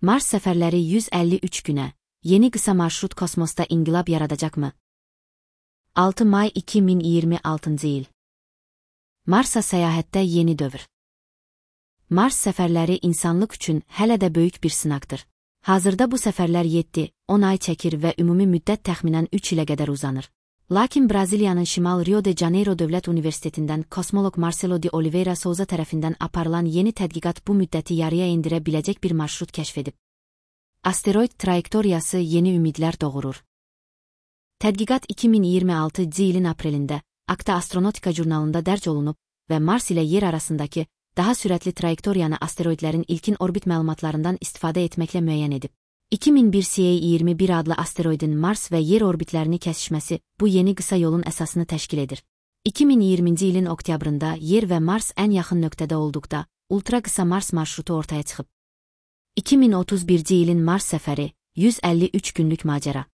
Mars səfərləri 153 günə, yeni qısa marşrut kosmosda inqilab yaradacaqmı? 6 may 2026 il. Marsa səyahətdə yeni dövr. Mars səfərləri insanlıq üçün hələ də böyük bir sınaqdır. Hazırda bu səfərlər 7-10 ay çəkir və ümumi müddət təxminən 3 ilə qədər uzanır. Lakin Braziliyanın Şimal Rio de Janeiro Dövlət Universitetindən kosmoloq Marcelo de Oliveira Souza tərəfindən aparılan yeni tədqiqat bu müddəti yarıya endirə biləcək bir marşrut kəşf edib. Asteroid trayektoriyası yeni ümidlər doğurur. Tədqiqat 2026 ilin aprelində Acta Astronautica jurnalında dərc olunub və Mars ilə Yer arasındakı daha sürətli trayektoriyanı asteroidlərin ilkin orbit məlumatlarından istifadə etməklə müəyyən edib. 2001 CA21 adlı asteroidin Mars və Yer orbitlərini kəsişməsi bu yeni qısa yolun əsasını təşkil edir. 2020-ci ilin oktyabrında Yer və Mars ən yaxın nöqtədə olduqda ultra qısa Mars marşrutu ortaya çıxıb. 2031-ci ilin Mars səfəri 153 günlük macəra.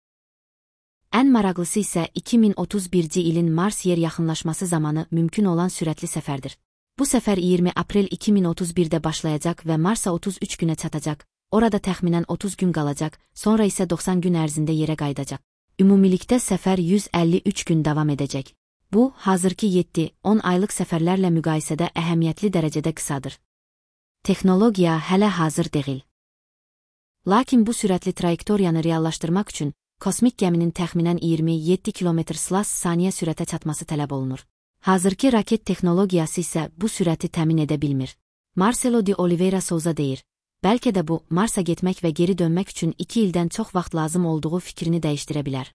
Ən maraqlısı isə 2031-ci ilin Mars-Yer yaxınlaşması zamanı mümkün olan sürətli səfərdir. Bu səfər 20 aprel 2031-də başlayacaq və Marsa 33 günə çatacaq. Orada təxminən 30 gün qalacaq, sonra isə 90 gün ərzində yerə qayıdacaq. Ümumilikdə səfər 153 gün davam edəcək. Bu, hazırki 7-10 aylıq səfərlərlə müqayisədə əhəmiyyətli dərəcədə qısadır. Texnologiya hələ hazır deyil. Lakin bu sürətli trayektoriyanı reallaşdırmaq üçün kosmik gəminin təxminən 27 km/saniyə sürətə çatması tələb olunur. Hazırki raket texnologiyası isə bu sürəti təmin edə bilmir. Marcelo de Oliveira Souza deyir. Bəlkə də bu, Marsa getmək və geri dönmək üçün 2 ildən çox vaxt lazım olduğu fikrini dəyişdirə bilər.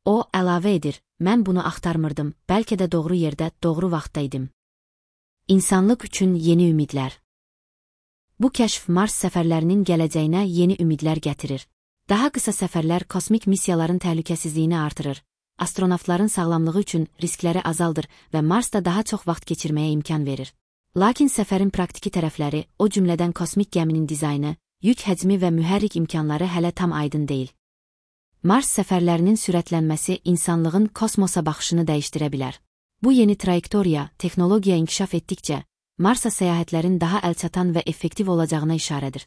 O, əlavə edir, mən bunu axtarmırdım, bəlkə də doğru yerdə, doğru vaxtda idim. İnsanlıq üçün yeni ümidlər. Bu kəşf Mars səfərlərinin gələcəyinə yeni ümidlər gətirir. Daha qısa səfərlər kosmik missiyaların təhlükəsizliyini artırır, astronavtların sağlamlığı üçün riskləri azaldır və Marsda daha çox vaxt keçirməyə imkan verir. Lakin səfərin praktiki tərəfləri, o cümlədən kosmik gəminin dizaynı, yük həcmi və mühərrik imkanları hələ tam aydın deyil. Mars səfərlərinin sürətlənməsi insanlığın kosmosa baxışını dəyişdirə bilər. Bu yeni trayektoriya, texnologiya inkişaf etdikcə, Marsa səyahətlərin daha əlçatan və effektiv olacağına işarədir.